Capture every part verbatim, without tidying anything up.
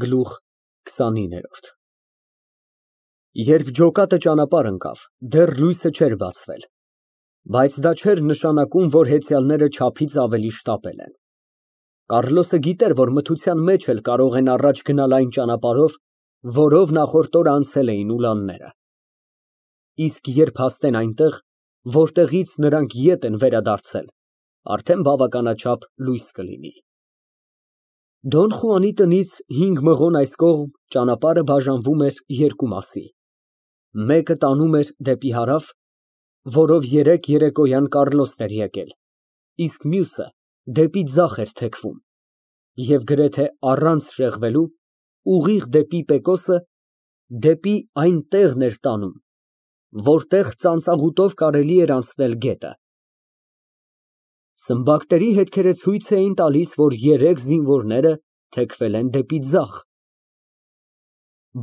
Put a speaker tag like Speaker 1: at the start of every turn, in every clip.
Speaker 1: Գլուխ քսանինը Երբ ջոկատը ճանապարհ ընկավ, դեռ լույսը չէր բացվել, բայց դա չէր նշանակում, որ հեծյալները չափից ավելի շտապել են։ Կարլոսը գիտեր, որ մթության մեջ էլ կարող են առաջ գնալ այն ճանապարհով, որով նախորդ օրը անցել էին ուլանները։ Իսկ երբ հասնեն այնտեղ, որտեղից նրանք ետ են վերադարձել, արդեն բավականաչափ լույս կլինի։ Դոն Խուանի տնից հինգ մղոն այս կողմ ճանապարհը բաժանվում էր երկու մասի, մեկը տանում էր դեպի հարավ, որով երեկ երեկոյան Կառլոսն էր եկել, իսկ մյուսը դեպի ձախ էր թեքվում և գրեթե առանց շեղվելու, ուղիղ դեպի Պեկոսը, դեպի այն տեղն էր տանում, որտեղ ծանծաղուտով կարելի էր անցնել գետը։ Սմբակների հետքերը ցույց էին տալիս, որ երեք զինվորները թեքվել են դեպի ձախ։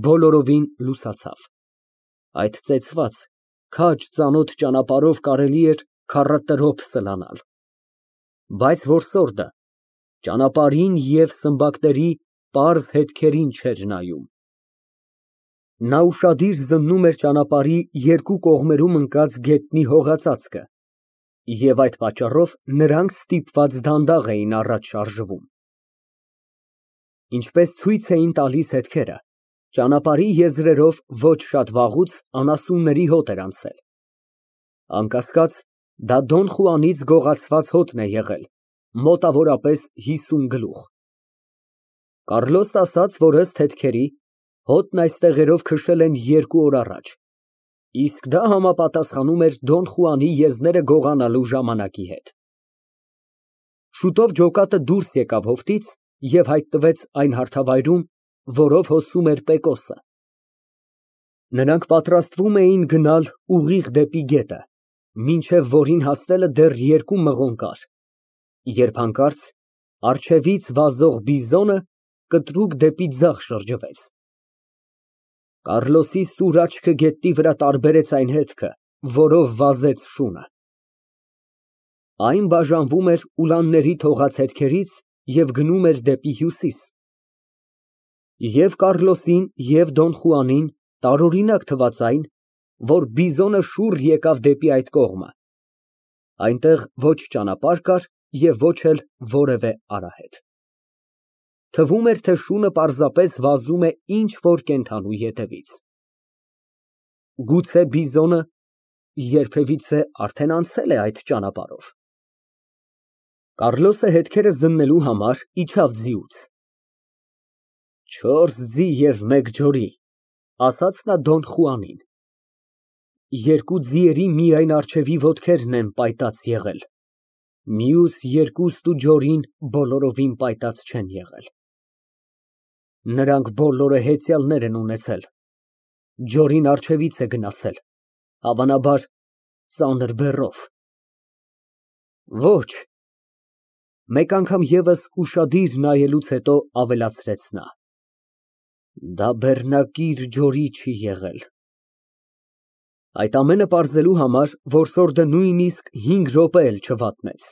Speaker 1: Բոլորովին լուսացավ։ Այդ ծեծված, քաջ ծանոթ ճանապարհով կարելի էր քառակուսի րոպե սլանալ, բայց որսորդը ճանապարհին և սմբակների պարզ հետքերին չէր նայում։ Նա ուշադիր զննում էր ճանապարհի երկու կողմերում ընկած գետնի հողածածկը, և այդ պատճառով նրանք ստիպված դանդաղ էին առաջ շարժվում։ Ինչպես ցույց էին տալիս հետքերը, ճանապարհի եզրերով ոչ շատ վաղուց անասունների հոտ էր անցել։ Անկասկած, դա Դոն Խուանից գողացված հոտն է եղել, մոտավորապես հիսուն գլուխ։ Կառլոսն ասաց, որ ըստ հետքերի, հոտն այս տեղերով քշել են երկու օր առաջ, իսկ դա համապատասխանում էր Դոն Խուանի եզները գողանալու ժամանակի հետ։ Շուտով ջոկատը դուրս եկավ հովտից և հայտնվեց այն հարթավայրում, որով հոսում էր Պեկոսը։ Նրանք պատրաստվում էին գնալ ուղիղ դեպի գետը, մինչև որին հասնելը դեռ երկու մղոն կար, երբ հանկարծ առջևից վազող բիզոնը կտրուկ դեպի ձախ շրջվեց։ Կառլոսի սուր աչքը գետնի վրա տարբերեց այն հետքը, որով վազեց շունը։ Այն բաժանվում էր ուլանների թողած հետքերից և գնում էր դեպի հյուսիս։ Եվ Կառլոսին, և Դոն Խուանին տարօրինակ թվաց այն, որ բիզոնը շուռ եկավ դեպի այդ կողմը։ Այնտեղ ոչ ճանապարհ կար և ոչ էլ որևէ արահետ։ Թվում էր, թե շունը պարզապես վազում է ինչ֊որ կենդանու ետևից։ Գուցե բիզոնը երբևիցե արդեն անցել է այդ ճանապարհով։ Կառլոսը հետքերը զննելու համար իջավ ձիուց։ «Չորս ձի և մեկ ջորի», ասաց նա Դոն Խուանին։ Երկու ձիերի միայն առջևի ոտքերն են պայտած եղել, մյուս երկուստ ու ջորին բոլորովին պայտած չեն եղել։ Նրանք բոլորը հեծյալներ են ունեցել, ջորին առջևից է գնացել, հավանաբար ծանր բեռով։ Ոչ, մեկ անգամ ևս ուշադիր նայելուց հետո ավելացրեց նա, դա բեռնակիր ջորի չի եղել։ Այդ ամենը պարզելու համար որսորդը նույնիսկ հինգ րոպե էլ չվատնեց։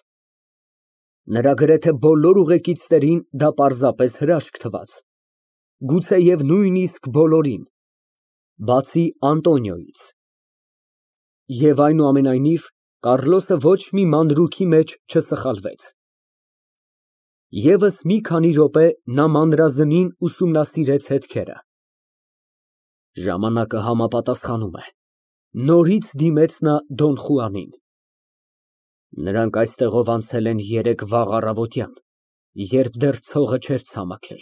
Speaker 1: Նրա գրեթե բոլոր ուղեկիցներին դա պարզապես հրաշք թվաց, գուցեև նույնիսկ բոլորին, բացի Անտոնիոյից։ Եվ այնուամենայնիվ, Կառլոսը ոչ մի մանրուքի մեջ չսխալվեց։ Եվս մի քանի րոպե նա մանրազնին ուսումնասիրեց հետքերը։ Ժամանակը համապատասխանում է, նորից դիմեց նա Դոն Խուանին։ Նրանք այստեղով անցել են երեկ վաղ առավոտյան, երբ դեռ ցողը չէր ցամաքել,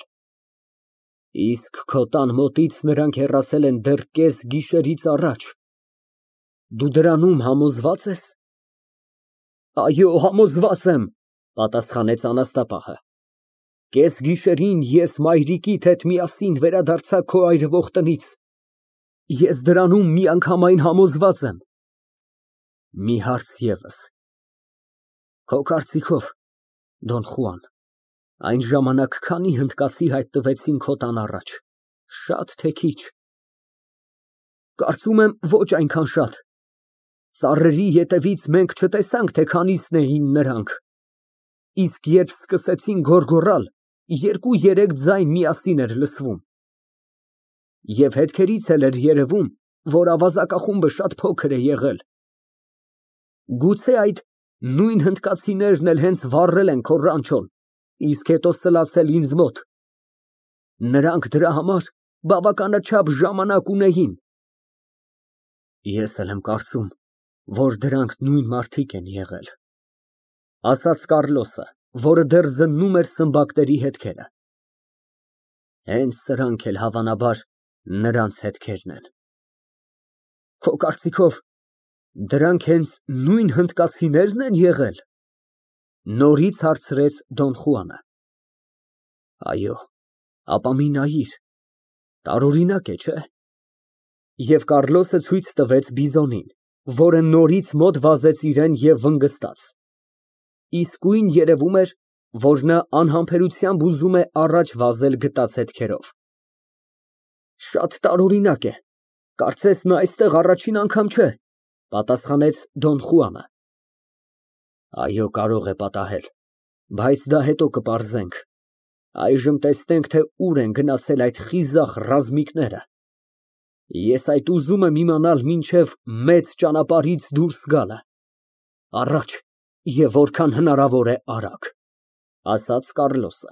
Speaker 1: իսկ քո տան մոտից նրանք հեռացել են դեռ կես գիշերից առաջ։ Դու դրանում համոզվա՞ծ ես։ Այո, համոզված եմ, պատասխանեց անաստապահը։ Կես գիշերին ես մայրիկիդ հետ միասին վերադարձա քո այրվող տնից։ Ես դրանում միանգամայն համոզված եմ։ Մի հարց ևս։ Քո կարծիքով, Դոն Խուան, այն ժամանակ քանի հնդկացի հայտնվեցին քո տան առաջ, շա՞տ, թե քիչ։ Կարծում եմ, ոչ այնքան շատ։ Ծառերի ետևից մենք չտեսանք, թե քանիսն էին նրանք, իսկ երբ սկսեցին գոռգոռալ, երկու֊երեք ձայն միասին էր լսվում։ Եվ հետքերից էլ էր երևում, որ ավազակախումբը շատ փոքր է եղել։ Գուցե այդ նույն հնդկացիներն էլ հենց վառել են քո ռանչոն, իսկ հետո սլացել ինձ մոտ։ Նրանք դրա համար բավականաչափ ժամանակ ունեին։ Ես էլ եմ կարծում, որ դրանք նույն մարդիկ են եղել, ասաց Կառլոսը, որը դեռ զննում էր սմբակների հետքերը։ Հենց սրանք էլ հավանաբար նրանց հետքերն են։ Քո կարծիքով դրանք հենց նույն հնդկացինե՞րն են եղել։ Նորից հարցրեց Դոն Խուանը։ Այո, ապա մի նայիր, տարօրինակ է, չէ՞։ Եվ Կառլոսը ցույց տվեց բիզոնին, որը նորից մոտ վազեց իրան և վնգստաց։ Իսկույն երևում էր, որ նա անհամբերությամբ ուզում է առաջ վազել գտած հետքերով։ Շատ տարօրինակ է, կարծես նա այստեղ առաջին անգամ չէ, պատասխանեց Դոն Խուանը։ Այո, կարող է պատահել, բայց դա հետո կպարզենք։ Այժմ տեսնենք, թե ուր են գնացել այդ խիզախ ռազմիկները։ Ես այդ ուզում եմ իմանալ մինչև մեծ ճանապարհից դուրս գալը։ Առաջ և որքան հնարավոր է արագ, ասաց Կառլոսը։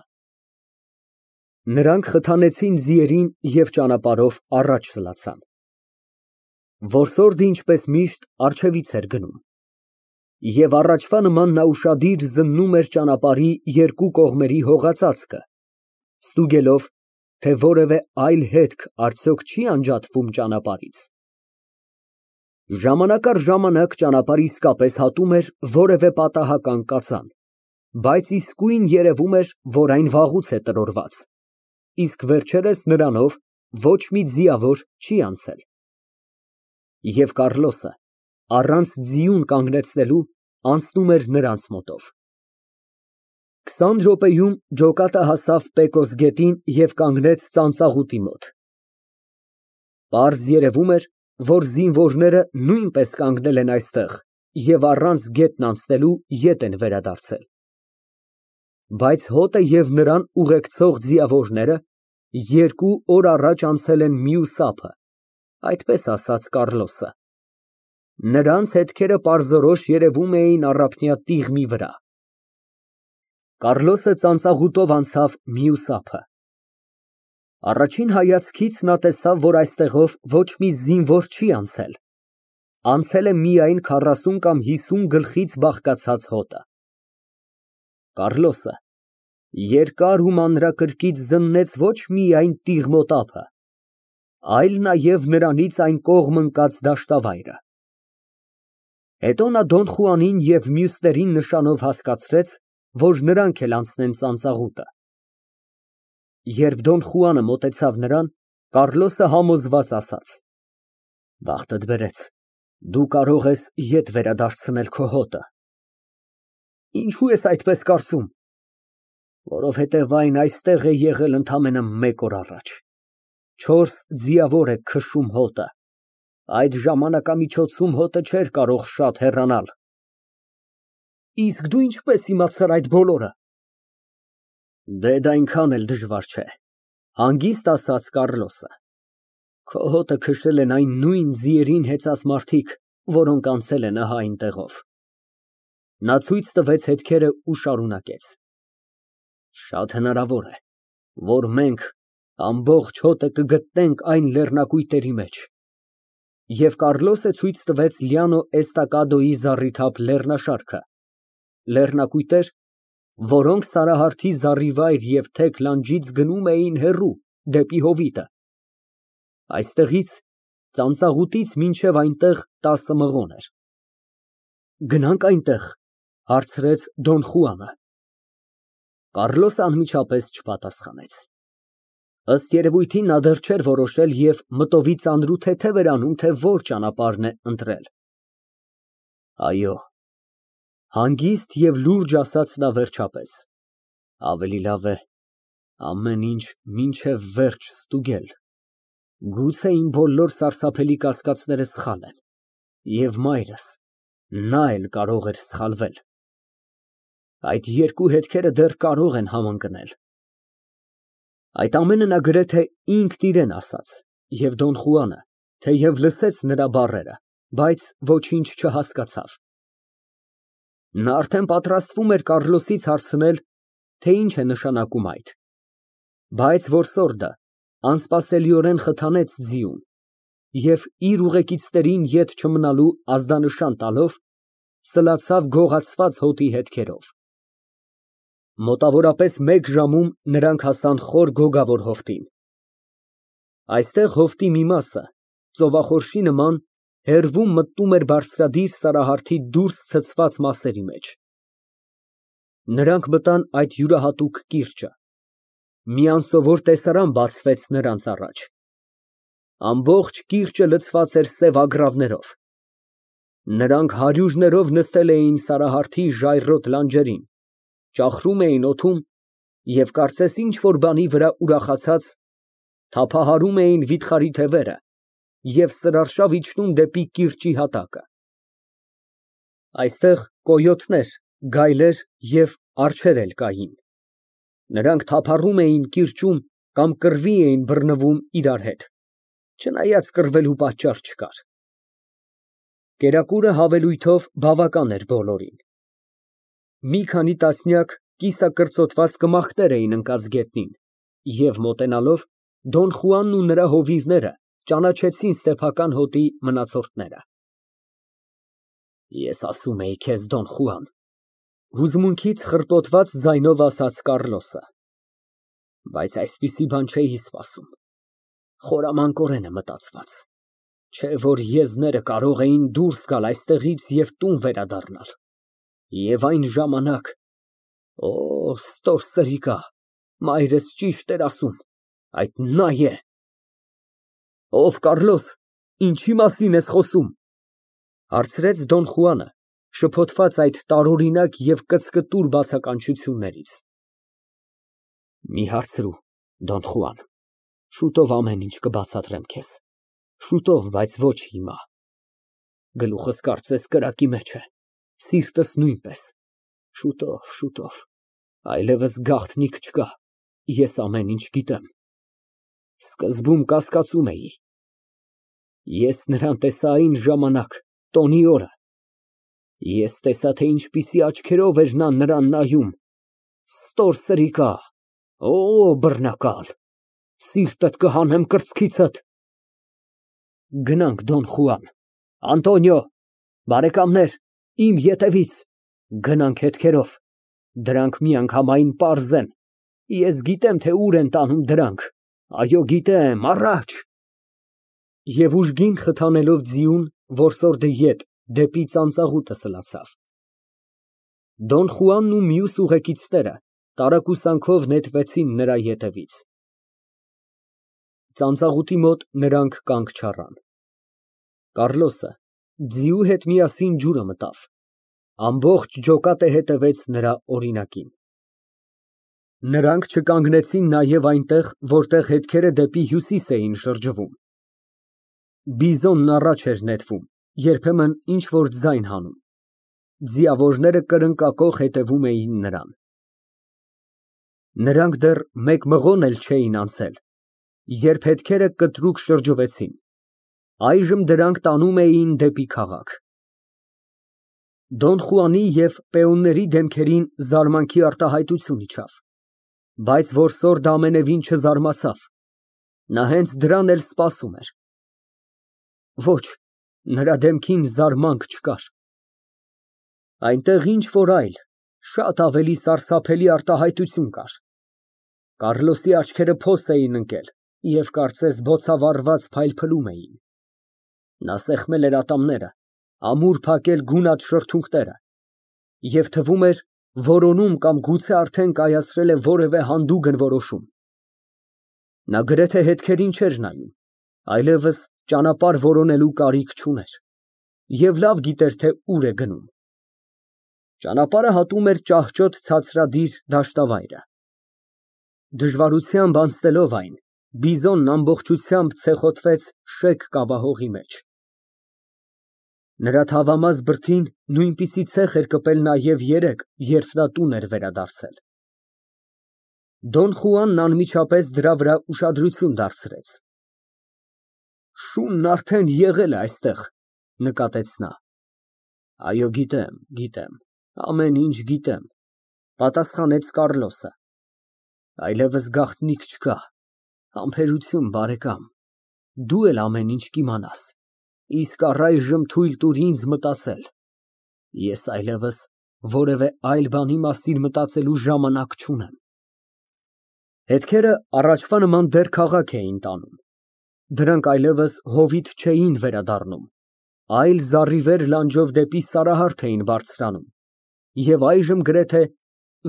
Speaker 1: Նրանք խթանեցին ձիերին և ճանապարհով առաջ սլացան։ Որսորդը ինչպես միշտ առջևից էր գնում։ Եվ առաջվա նման նա ուշադիր զննում էր ճանապարհի երկու կողմերի հողածածկը, ստուգելով, թե որևէ այլ հետք արդյոք չի անջատվում ճանապարհից։ Ժամանակ առ ժամանակ ճանապարհ իսկապես հատում էր որևէ պատահական կածան, բայց իսկույն երևում էր, որ այն վաղուց է տրորված, իսկ վերջերս նրանով ոչ մի ձիավոր չի անցել։ Եվ Կառլոսը, առանց ձիուն կանգնեցնելու, անցնում էր նրանց մոտով։ Քսան րոպեում ջոկատը հասավ Պեկոս գետին և կանգնեց ծանծաղուտի մոտ։ Պարզ երևում էր, որ զինվորները նույնպես կանգնել են այստեղ և առանց գետն անցնելու ետ են վերադարձել։ Բայց հոտը և նրան ուղեկցող ձիավորները երկու օր առաջ անցել են մյուս ափը, այդպես ասաց Կառլոսը։ Նրանց հետքերը պարզորոշ երևում էին առափնյա տիղմի վրա։ Կառլոսը ծանծաղուտով անցավ մյուս ափը։ Առաջին հայացքից նա տեսավ, որ այստեղով ոչ մի զինվոր չի անցել։ Անցել է միայն քառասուն կամ հիսուն գլխից բաղկացած հոտը։ Կառլոսը երկար ու մանրակրկիտ զննեց ոչ միայն տիղմոտ ափը, այլ նաև նրանից այն կողմ ընկած դաշտավայրը։ Հետո նա Դոն Խուանին և մյուսներին նշանով հասկացրեց, որ նրանք էլ անցնեն ծանծաղուտը։ Երբ Դոն Խուանը մոտեցավ նրան, Կառլոսը համոզված ասաց. Բախտդ բերեց, դու կարող ես ետ վերադարձնել քո հոտը։ Ինչո՞ւ ես այդպես կարծում։ Որովհետև այն այստեղ է եղել ընդամենը մեկ օր առաջ։ Չորս ձիավոր է քշում հոտը։ Այդ ժամանակամիջոցում հոտը չէր կարող շատ հեռանալ։ Իսկ դու ինչպես իմացար այդ բոլորը։ Դե դա այնքան էլ դժվար չէ, հանգիստ ասաց Կառլոսը։ Քո հոտը քշել են այն նույն ձիերին հեծած մարդիկ, որոնք անցել են ահա այնտեղով։ Նա ցույց տվեց հետքերը ու շարունակեց. Շատ հնարավոր է, որ մենք ամբողջ հոտը կգտնենք այն լեռնակույտերի մեջ։ Եվ Կառլոսը ցույց տվեց Լիանո Էստակադոյի զառիթափ լեռնաշարքը, լեռնակույտեր, որոնք Սարահարթի զառիվայր և թեք լանջից գնում էին հեռու, դեպի հովիտը։ Այստեղից, ծանծաղուտից մինչև այնտեղ տասը մղոն էր։ Գնանք այնտեղ, հարցրեց Դոն Խուանը։ Կառլոսը անմիջապես չպատասխանեց։ Ըստ երևույթին նա դեռ չէր որոշել և մտովի ծանրութեթև էր անում, թե որ ճանապարհն է ընտրել։ Այո, հանգիստ և լուրջ ասաց նա վերջապես, ավելի լավ է ամեն ինչ մինչև վերջ ստուգել, գուցե իմ բոլոր սարսափելի կասկածները սխալ են, և մայրս, նա էլ կարող էր սխալվել։ Այդ երկու հետքերը դեռ կարող են համընկնել։ Այդ ամենը նա գրեթե ինքն իրեն ասաց, և Դոն Խուանը, թեև լսեց նրա բառերը, բայց ոչինչ չհասկացավ։ Նա արդեն պատրաստվում էր Կառլոսից հարցնել, թե ինչ է նշանակում այդ, բայց որսորդը անսպասելիորեն խթանեց ձիուն և իր ուղեկիցներին ետ չմնալու ազդանշան տալով, սլացավ գողացված հոտի հետքերով։ Մոտավորապես մեկ ժամում նրանք հասան խոր գոգավոր հովտին։ Այստեղ հովտի մի մասը, ծովախորշի նման, հեռվում մտնում էր բարձրադիր սարահարթի դուրս ցցված մասերի մեջ։ Նրանք մտան այդ յուրահատուկ կիրճը։ Մի անսովոր տեսարան բացվեց նրանց առաջ։ Ամբողջ կիրճը լցված էր սև ագռավներով։ Նրանք հարյուրներով նստել էին սարահարթի ժայռոտ լանջերին, ճախրում էին օդում և կարծես ինչ֊որ բանի վրա ուրախացած, թափահարում էին վիթխարի թևերը և սրարշավ իջնում դեպի կիրճի հատակը։ Այստեղ կոյոտներ, գայլեր և արջեր էլ կային։ Նրանք թափառում էին կիրճում կամ կռվի էին բռնվում իրար հետ, չնայած կռվելու պատճառ չկար։ Կերակուրը հավելույթով բավական էր բոլորին։ Մի քանի տասնյակ կիսակրծոտված կմախքներ էին ընկած գետնին և, մոտենալով, Դոն Խուանն ու նրա հովիվները ճանաչեցին սեփական հոտի մնացորդները։ Ես ասում էի քեզ, Դոն Խուան, հուզմունքից խռպոտված ձայնով ասաց Կառլոսը, բայց այսպիսի բան չէի սպասում, խորամանկորեն է մտածված, չէ որ եզները կարող էին դուրս գալ այստեղից և տուն վերադառնալ, և այն ժամանակ… Օ, ստորսրիկա, մայրս ճիշտ էր ասում, այդ նա է։ Ով Կառլոս, ինչի մասին ես խոսում, հարցրեց Դոն Խուանը, շփոթված այդ տարօրինակ և կծկտուր բացականչություններից։ Մի հարցրու, Դոն Խուան, շուտով ամեն ինչ կբացատրեմ քեզ, շուտով, բայց ոչ հիմա։ Գլուխս կարծես կրակի մեջ է, սիրտս նույնպես, շուտով, շուտով, այլևս գաղտնիք չկա, ես ամեն ինչ գիտեմ։ Սկզբում կասկածում էի։ Ես նրան տեսա այն ժամանակ, տոնի օրը, ես տեսա, թե ինչպիսի աչքերով էր նա նրան նայում, ստորսրիկա, օ, բռնակալ, սիրտդ կհանեմ կրծքիցդ։ Գնանք, Դոն Խուան, Անտոնիո, բարեկամներ, իմ ետևից, գնանք հետքերով, դրանք միանգամայն պարզ են, ես գիտեմ, թե ուր են տանում դրանք, այո, գիտեմ, առաջ։ Եվ ուժգին խթանելով ձիուն, որսորդը ետ, դեպի ծանծաղուտը սլացավ։ Դոն Խուանն ու մյուս ուղեկիցները տարակուսանքով նետվեցին նրա ետևից։ Ծանծաղուտի մոտ նրանք կանգ չառան։ Կառլոսը ձիու հետ միասին ջուրը մտավ, ամբողջ ջոկատը հետևեց նրա օրինակին։ Նրանք չկանգնեցին նաև այնտեղ, որտեղ հետքերը դեպի հյուսիս էին շրջվում։ Բիզոնն առաջ էր նետվում, երբեմն ինչ֊որ ձայն հանում, ձիավորները կրնկակոխ հետևում էին նրան։ Նրանք դեռ մեկ մղոն էլ չէին անցել, երբ հետքերը կտրուկ շրջվեցին, այժմ դրանք տանում էին դեպի քաղաք։ Դոն Խուանի և պեոնների դեմքերին զարմանքի արտահայտություն իջավ, բայց որսորդը ամենևին չզարմացավ, նա հենց դրան էլ սպասում էր։ Ոչ, նրա դեմքին զարմանք չկար։ Այնտեղ ինչ֊որ այլ, շատ ավելի սարսափելի արտահայտություն կար։ Կառլոսի աչքերը փոս էին ընկել և կարծես բոցավառված փայլփլում էին։ Նա սեղմել էր ատամները, ամուր փակել գունատ շրթունքները և թվում էր որոնում կամ գուցե արդեն կայացրել է որևէ հանդուգն որոշում։ Նա գրեթե հետքերին չէր նայում, այլևս ճանապարհ որոնելու կարիք չուներ և լավ գիտեր, թե ուր է գնում։ Ճանապարհը հատում էր ճահճոտ ցածրադիր դաշտավայրը։ Դժվարությամբ անցնելով այն, բիզոնն ամբողջությամբ ցեխոտվեց շեկ կավահողի մեջ։ Նրա թավամաս բրդին նույնպիսի ցեխ էր կպել նաև երեկ, երբ նա տուն էր վերադարձել։ Դոն Խուանն անմիջապես դրա վրա ուշադրություն դարձրեց։ Շունն արդեն եղել է այստեղ, նկատեց նա։ Այո, գիտեմ, գիտեմ, ամեն ինչ գիտեմ, պատասխանեց Կառլոսը։ Այլևս գաղտնիք չկա, համբերություն, բարեկամ, դու էլ ամեն ինչ կիմանաս, իսկ առայժմ թույլ տուր ինձ մտածել, ես այլևս որևէ այլ բանի մասին մտածելու ժամանակ չունեմ։ Հետքերը առաջվա նման դեռ քաղաք էին տանում, դրանք այլևս հովիտ չէին վերադառնում, այլ զառիվեր լանջով դեպի Սարահարթ էին բարձրանում, և այժմ գրեթե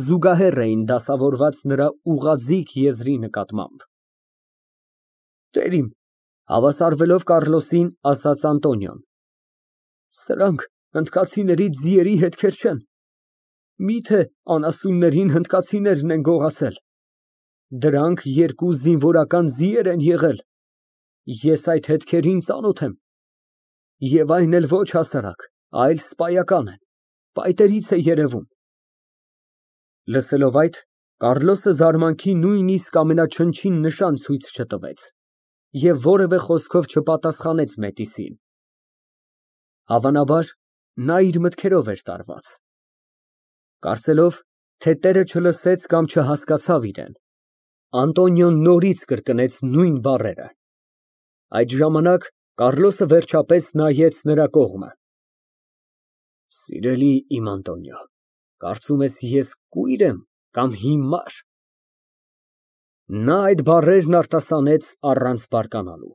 Speaker 1: զուգահեռ էին դասավորված նրա ուղղաձիգ եզրի նկատմամբ։ Տերիմ, հավասարվելով Կառլոսին, ասաց Անտոնիոն, սրանք հնդկացիների ձիերի հետքեր չեն, միթե անասուններին հնդկացիներն են գողացել, դրանք երկու զինվորական ձիեր են եղել, ես այդ հետքերին ծանոթ եմ, և այն էլ ոչ հասարակ, այլ սպայական են, պայտերից է երևում։ Լսելով այդ, Կառլոսը զարմանքի նույնիսկ ամենաչնչին նշան ցույց չտվեց և որևէ խոսքով չպատասխանեց մետիսին։ Հավանաբար, նա իր մտքերով էր տարված։ Կարծելով, թե տերը չլսեց կամ չհասկացավ իրեն, Անտոնիոն նորից կրկնեց նույն բառերը։ Այդ ժամանակ Կառլոսը վերջապես նայեց նրա կողմը։ Սիրելի իմ Անտոնիո, կարծում ես ես կույր եմ կամ հիմար։ Նա այդ բառերն արտասանեց առանց բարկանալու։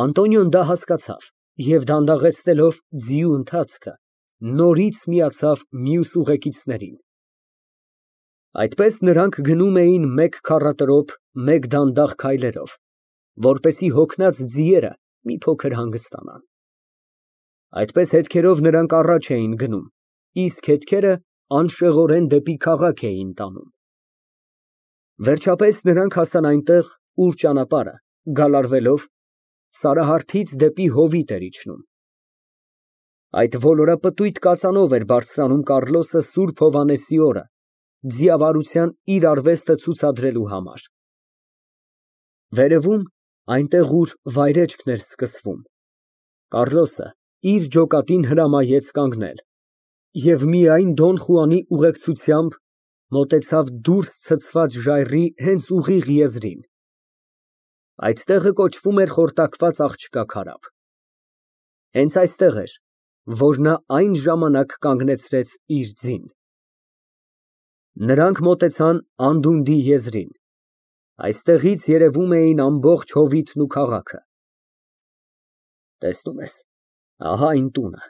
Speaker 1: Անտոնիոն դա հասկացավ և դանդաղեցնելով ձիու ընթացքը, նորից միացավ մյուս ուղեկիցներին։ Այդպես նրանք գնում էին մեկ քառատրոփ, մեկ դանդաղ քայլերով, որպեսզի հոգնած ձիերը մի փոքր հանգստանան։ Այդպես հետքերով նրանք առաջ էին գնում, իսկ հետքերը անշեղորեն դեպի քաղաք էին տանում։ Վերջապես նրանք հասան այնտեղ, ուր ճանապարհը, գալարվելով, Սարահարթից դեպի հովիտ էր իջնում։ Այդ ոլորապտույտ կածանով էր բարձրանում Կառլոսը Սուրբ Հովհաննեսի օրը, ձիավարության իր արվեստը ցուցադրելու համար։ Վերևում, այնտեղ, ուր վայրեջքն էր սկսվում, Կառլոսը իր ջոկատին հրամայեց կանգնել և միայն Դոն Խուանի ուղեկցությամբ մոտեցավ դուրս ցցված ժայռի հենց ուղիղ եզրին։ Այդ տեղը կոչվում էր Խորտակված աղջկա քարափ։ Հենց այստեղ էր, որ նա այն ժամանակ կանգնեցրեց իր ձին։ Նրանք մոտեցան անդունդի եզրին։ Այստեղից երևում էին ամբողջ հովիտն ու քաղաքը։ Տեսնում ես, ահա այն տունը,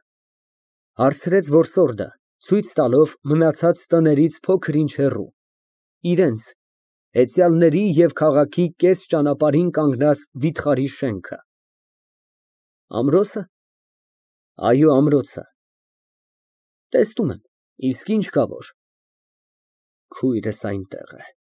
Speaker 1: հարցրեց որսորդը, ցույց տալով մնացած տներից փոքր-ինչ հեռու, իրենց, հեծյալների և քաղաքի կես ճանապարհին կանգնած վիթխարի շենքը։ Ամրո՞սը։ Այո, ամրոցը։ Տեսնում եմ, իսկ ինչ կա որ։ Քույրս այնտեղ է։